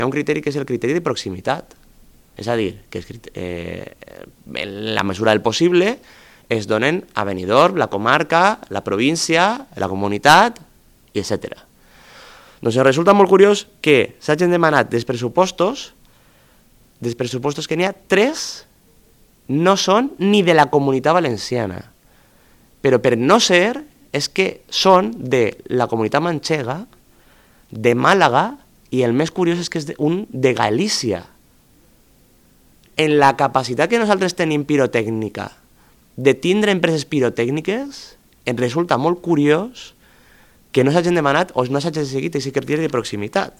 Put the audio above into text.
hi ha un criteri que és el criteri de proximitat. És a dir, que en la mesura del possible es donen a Benidorm, la comarca, la província, la comunitat, etc. Doncs em resulta molt curiós que s'hagin demanat dels pressupostos que n'hi ha 3 no són ni de la Comunitat Valenciana. Però per no ser és que són de la Comunitat Manxega, de Màlaga, i el més curiós és que és un de Galícia. En la capacitat que nosaltres tenim pirotècnica de tindre empreses pirotècniques, em resulta molt curiós que no s'hagin demanat o no s'hagi seguit aquest criteri de proximitat.